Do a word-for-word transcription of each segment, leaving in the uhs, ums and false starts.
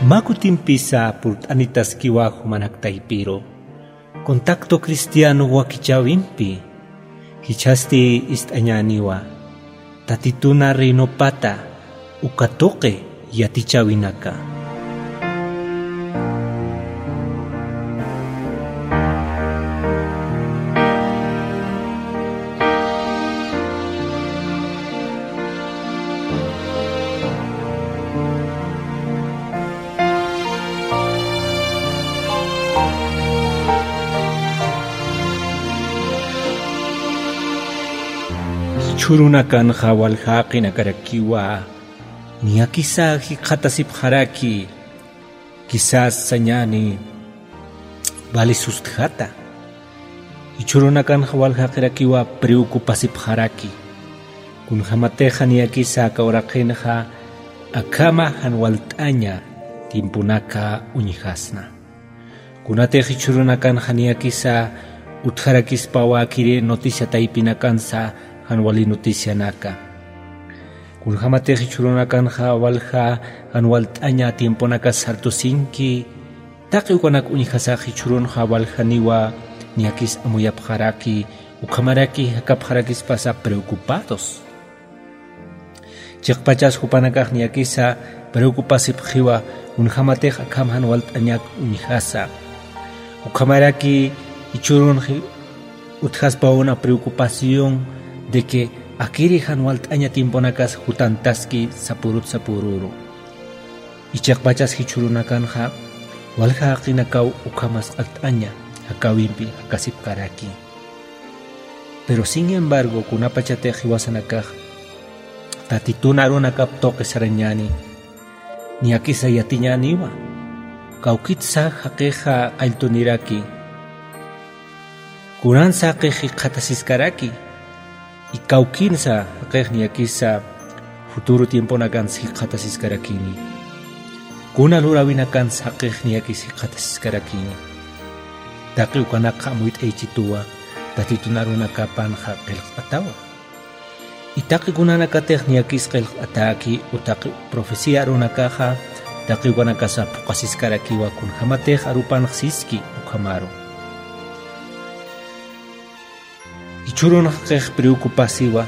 Mä kutimpisa purt'anitaskiwa jumanak taypiru contacto cristiano wakichäwimpi. Jichhasti ist'añäniwa Tatituna reinopata uka tuqi yatichäwinaka. Jichhürunakanxa walja jaqinakarakiwa niyakisa jikxatasipxaraki, quizás sañäni vali sustjata. Jichhürunakanxa walja jaqirakiwa preocupasipxaraki. Kunjämatixa niyakisa aka uraqinxa akhama jan walt'aña tiemponaka uñjasna. Kunatix jichhürunakanxa niyakisa utjarakispawa akiri noticia taypinakansa jan wali noticianaka. Kunjämatix jichhürunakanxa walja jan walt'aña tiemponakas sartusinki, taqi ukanak uñjasax jichhürunxa waljaniwa niyakis amuyapxaraki, ukhamaraki jakapxarakispasa preocupados. Chiqpachas jupanakax niyakisa preocupasipxiwa, kunjämatix akham jan walt'añak uñjasa. Ukhamaraki jichhürunxi utjaspawna preocupación de que akiri jan walt'aña tiemponakas jutantaski sapürut sapüruru. Chiqpachas jichhürunakanxa walja jaqinakaw ukhamas q'alt'aña jakawimpi jakasipkaraki. Pero sin embargo, kunapachatix jiwasanakax Tatitun arunakap tuqi sarañäni, niyakisa yatiñäniwa, kawkitsa jaqixa qalltuniraki, kunansa jaqix jikxatasiskaraki, y kawkinsa jaqix niyakisa futuro tiemponakansa jikxatasiskarakini. Kuna luräwinakansa jaqix niyakis jikxatasiskarakini. Taqi ukanakxa amuyt'ayichituwa, Tatitun arunakapanxa qillqt'atawa. Y taqi kunanakatix niyakis qillqt'atäki, u taqi profecía arunakaxa, taqi ukanakasa phuqasiskarakiwa kunjämatix arupanx siski ukhamaru. Jichhürunxa jaqix preocupasiwa,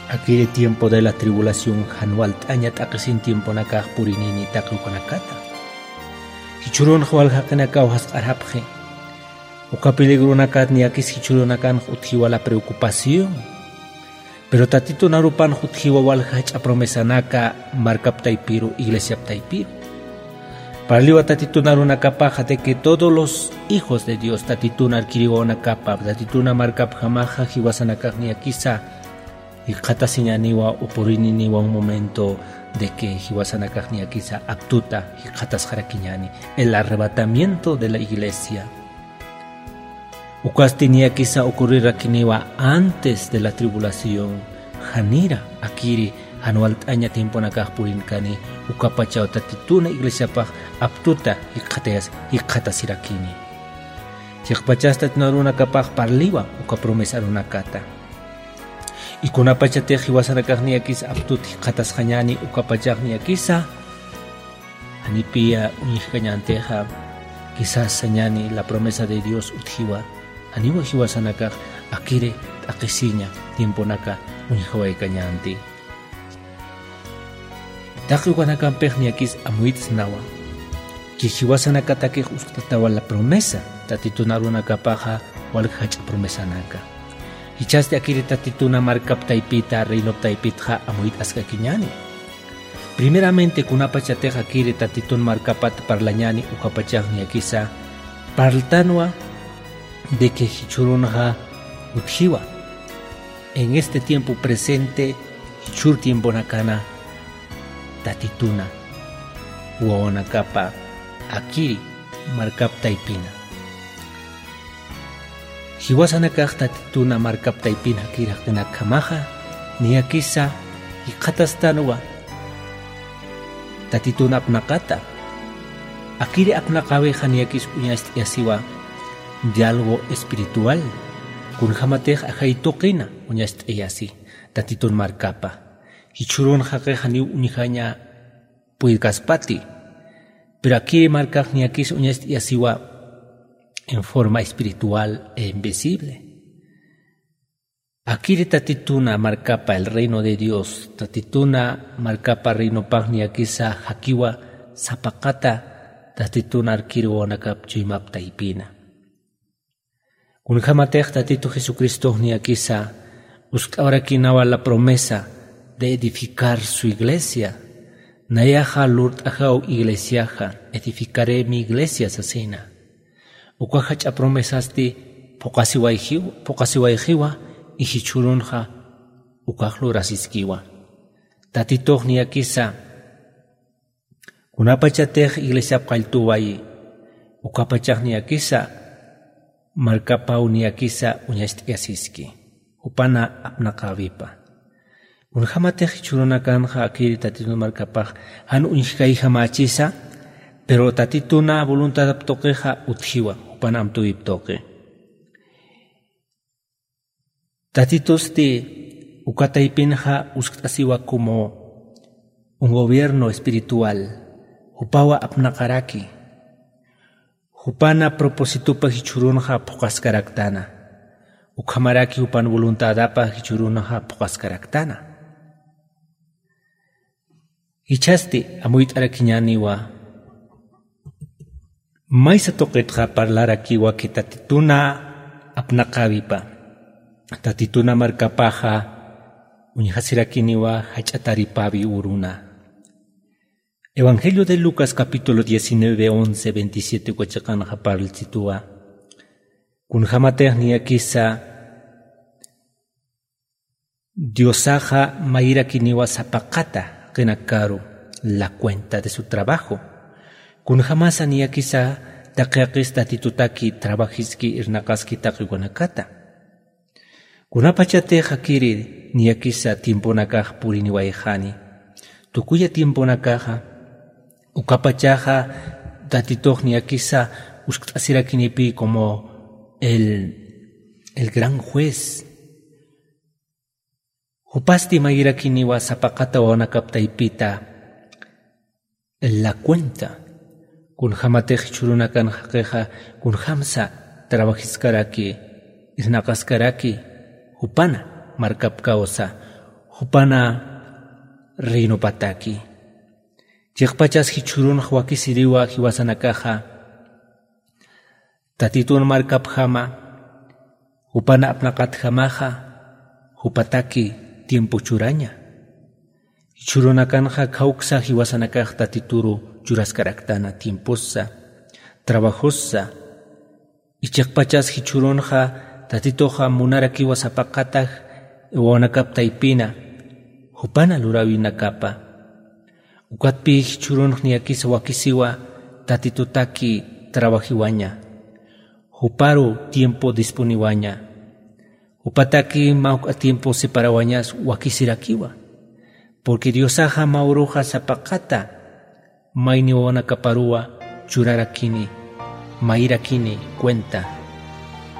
akiri tiempo de la tribulación jan walt'aña t'aqisin tiemponakax purinini taqi ukanakata. Jichhürunxa walja jaqinakaw jasq'arapxi, uka peligronakat niyakis jichhürunakanx utjiwa la preocupación. Pero Tatitun arupanx utjiwa walja jach'a promesanaka markap taypiru, iglesiap taypiru. Parliwa Tatitun arunakapaxa de que todos los hijos de Dios, Tatitun arkiriwawanakapa, Tatituna markapjamaxa jiwasanakax niyakisa jikxatasiñäniwa, u purininiwa un momento de que jiwasanakax niyakisa aptuta jikxatasxarakiñäni, el arrebatamiento de la iglesia. Ukasti niyakisa ocurrirakiniwa antes de la tribulación, janira akiri jan walt'aña tiemponakax purinkani, ukapachaw Tatituna iglesiapax aptuta jikxatayas-, jikxatasirakini. Chiqpachas Tatitun arunakapax parliwa uka promesa arunakata. Y kunapachatix jiwasanakax niyakisa aptut jikxatasxañäni, ukapachax niyakisa janipiya uñjkañäntixa, quizás sañäni la promesa de Dios utjiwa, janiwa jiwasanakax akiri t'aqhisiña tiemponaka uñjawaykañänti. Taqi ukanakampix niyakis amuyt'snawa, que jiwasanakatakix uskt'atawa la promesa, Tatitun arunakapaxa walja jach'a promesanaka. Jichhasti akiri Tatituna markap taypita, reinop taypitxa amuyt'askakiñäni. Primeramente, kunapachatix akiri Tatitun markapat parlañäni ukapachax niyakisa parltanwa de que jichhürunxa utjiwa. En este tiempo presente, jichhür tiemponakana Tatituna wawanakapa akiri markap taypina. Jiwasanakax Tatituna markap taypin akiri jaqinakjamaxa, niyakisa jikxatastanwa Tatitun apnaqata. Akiri apnaqäwixa niyakis uñacht'ayasiwa diálogo espiritual, kunjämatix ajay tuqina uñacht'ayasi Tatitun markapa. Jichhürunxa jaqix janiw uñjaña puykaspati, Pero akiri markax niyakis uñast'iyasiwa en forma espiritual e invisible. Akiri tatituna markapa, el reino de Dios, tatituna markapa reinopax niyakisa jakiwa sapaqata tatituna arkiri wawanakap chuymap taypina. Kunjämatix Tatitu Jesucristox niyakisa uskt'awarakinawa la promesa de edificar su iglesia. Nayaxa lurt'ajaw iglesiaxa, edificaré mi iglesia sasina. Uka jach'a promesasti phuqasiwayjiw-, phuqasiwayjiwa, y jichhürunxa ukax lurasiskiwa. Tatitux niyakisa kunapachatix iglesiap qalltuwayi, ukapachax niyakisa markapaw niyakisa uñacht'ayasiski, jupana apnaqäwipa. Kunjämatix jichhürunakanxa akiri Tatitun markapax jan uñjkayjamächisa, pero Tatituna voluntadap tuqixa utjiwa, jupana amtuwip tuqi. Tatitusti uka taypinxa uskt'asiwa como un gobierno espiritual, jupawa apnaqaraki. Jupana propósitopa jichhürunxa phuqaskaraktana. Ukhamaraki jupan voluntadapa jichhürunxa phuqaskaraktana. Jichhasti amuyt'arakiñäniwa. Maysa tuqitxa parlarakiwa que Tatituna apnaqäwipa, Tatituna markapaxa uñjasirakiniwa jach'a taripäwi uruna. Evangelio de Lucas capítulo diecinueve, once, veintisiete uka chiqanxa parlchituwa. Kunjämatix niyakisa Diosaxa mayirakiniwa sapaqata qinakaru, la cuenta de su trabajo. Kunjämasa niyakisa taqi jaqis Tatitutaki trabajiski irnaqaski taqi ukanakata. Kunapachatix akiri niyakisa tiemponakax puriniwayxani. Tukuya tiemponakaxa, ukapachaxa Tatitux niyakisa uskt'asirakinipi como el, el gran juez. Jupasti mayirakiniwa sapaqata wawanakap taypita la cuenta. Kunjämatix jichhürunakan jaqixa kunjämsa trabajiskaraki, irnaqaskaraki, jupana markap kawsa, jupana reinopataki. Chiqpachas jichhürunx wakisiriwa jiwasanakaxa, Tatitun markapjama, jupan apnaqatjamaxa, jupataki tiempo churaña. Jichhürunakanxa khawksa jiwasanakax Tatituru churaskaraktana tiempossa, trabajossa. Chiqpachas jichhürunxa Tatituxa munarakiwa sapaqatax wawanakap taypina, jupana luräwinakapa. Ukatpï jichhürunx niyakisa wakisiwa Tatitutaki trabajiwaña, juparu tiempo disponiwaña, jupataki mä juk'a tiempo separawañas wakisirakiwa. Porque Diosaxa mä uruxa sapaqata mayni wawanakaparuwa churarakini, mayirakini cuenta,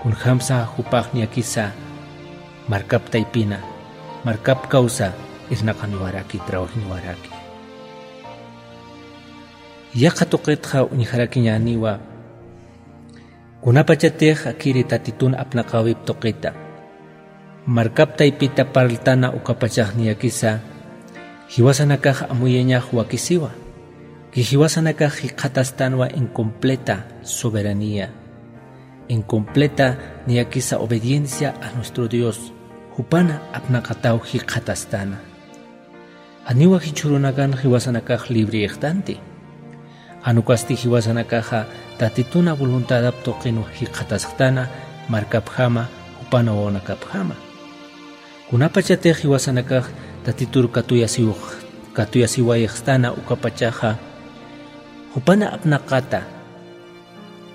kunjämsa jupax niyakisa markap taypina, markap kawsa irnaqaniwaraki, trabajiniwaraki. Yaqha tuqitxa uñjarakiñäniwa, kunapachatix akiri Tatitun apnaqäwip tuqita, markap taypita parltana ukapachax niyakisa, jiwasanakax amuyañax wakisiwa, que jiwasanakax jikxatastanwa en completa soberanía, en completa niyakisa obediencia a nuestro Dios, jupana apnaqataw jikxatastana. Janiwa jichhürunakan jiwasanakax libreyxtanti. Jan ukasti jiwasanakaxa Tatituna voluntadap tuqinwa jikxatasxtana markapjama, jupana wawanakapjama. Kunapachatix jiwasanakax Tatitur katuyasiw-, katuyasiwayxstana ukapachaxa, jupana apnaqata,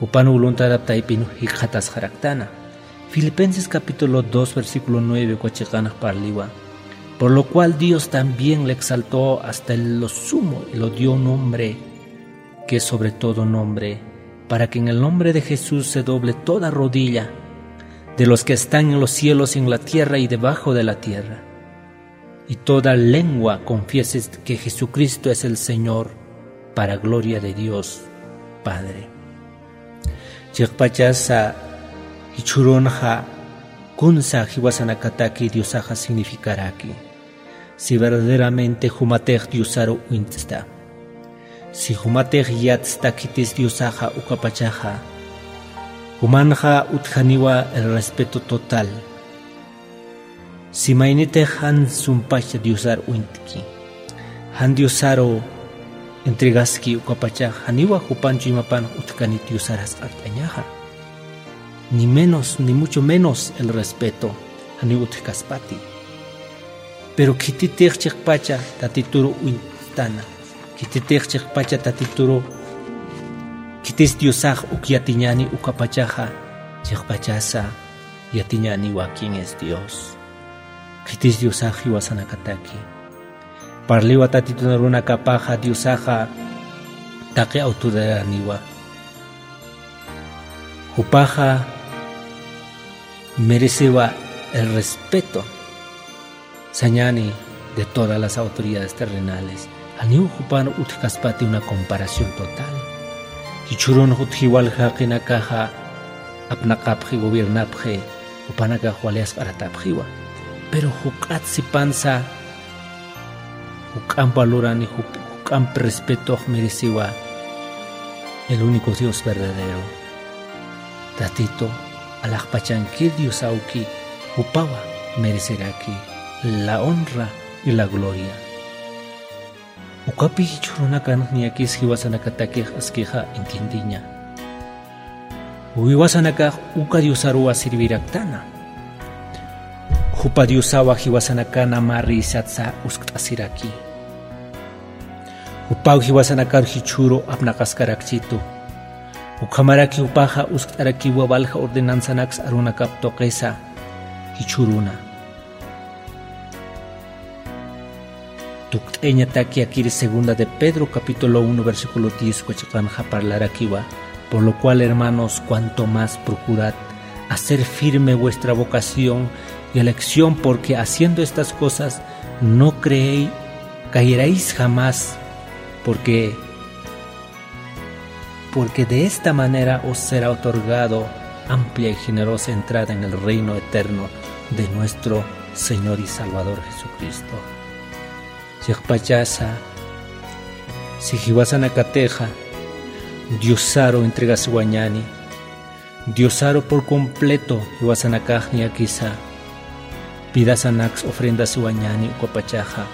jupan voluntadap taypin jikxatasxaraktana. Filipenses capítulo dos, versículo nueve uka chiqanx parliwa. Por lo cual Dios también le exaltó hasta lo sumo y lo dio un nombre que es sobre todo nombre, para que en el nombre de Jesús se doble toda rodilla de los que están en los cielos, en la tierra y debajo de la tierra, y toda lengua confiese que Jesucristo es el Señor, para gloria de Dios Padre. Chiqpachasa jichhürunxa kunsa jiwasanakataki Diosaxa significaraki. Si verdaderamente jumatix Diosaru uñt'sta, si jumatix yatsta khitis Diosaxa ukapachaxa, jumanxa utjaniwa el respeto total. Si maynitix jan sumpach Diosar uñt'ki, jan Diosaru entregaski ukapachax, janiwa jupan chuymapan utjkanit Diosar jasq'art'añaxa. Ni menos, ni mucho menos el respeto, janiw utjkaspati. Pero khititix chiqpacha Tatituru uñt'tana, khititix chiqpacha Tatituru, khitis Diosax uk yatiñani ukapachaxa, chiqpachasa yatiñaniwa quién es Dios. Khitis Diosax jiwasanakataki. Parliwa Tatitun arunakapaxa Diosaxa taqi autoridadaniwa. Jupaxa merecewa el respeto. Sañani de todas las autoridades terrenales. Janiw jupan utjkaspati una comparación total. Jichhürun jutji walja jaqinakaxa apnaqapxi, gobiernapxi, jupanakax wali jasq'aratapxiwa. Pero juk'at sipansa, juk'amp valorani, juk-, juk'amp respetox merecewa el único Dios verdadero. Tatito, alaxpachankir Diosawki, jupawa mereceraki la honra y la gloria. Ukapi jichhürunakanx niyakis jiwasanakatakix askixa entiendiña. Jiwasanakax uka Diosaruwa serviraktana. Jupa Diosawa jiwasanakan mä reysatsa uskt'asiraki. Jupaw jiwasanakar jichhüru apnaqaskarakchitu. Ukhamaraki jupaxa uskt'arakiwa walja ordenanzanaks arunakap tuqisa jichhüruna. Tukt'ayañataki akir segunda de Pedro capítulo uno versículo diez uka chiqanxa parlarakiwa. Por lo cual, hermanos, cuanto más procurad hacer firme vuestra vocación y elección, porque haciendo estas cosas no creéis, caeréis jamás, porque, porque de esta manera os será otorgado amplia y generosa entrada en el reino eterno de nuestro Señor y Salvador Jesucristo. Chiqpachasa, si jiwasanakatixa Diosaru entregasiwañani, Diosaru por completo jiwasanakax niyakisa vidasanaks ofrendasiwañani ukapachaxa,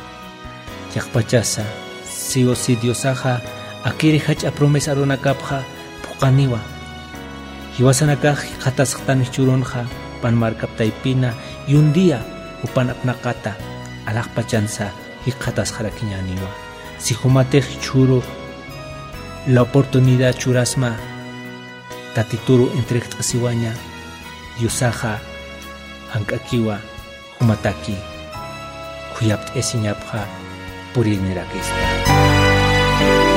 chiqpachasa, sí o sí Diosaxa akir jach'a promesa arunakapxa phuqaniwa. Jiwasanakax jikxatasxtan jichhürunxa, pan markap taypina, y un día jupan apnaqata alaxpachansa jikxatasxarakiñäniwa. Si jumatix jichhüru la oportunidad churasma Tatituru entrejt'asiwaña, Diosaxa jank'akiwa jumataki khuyapt'ayasiñapxa puririnirakispa.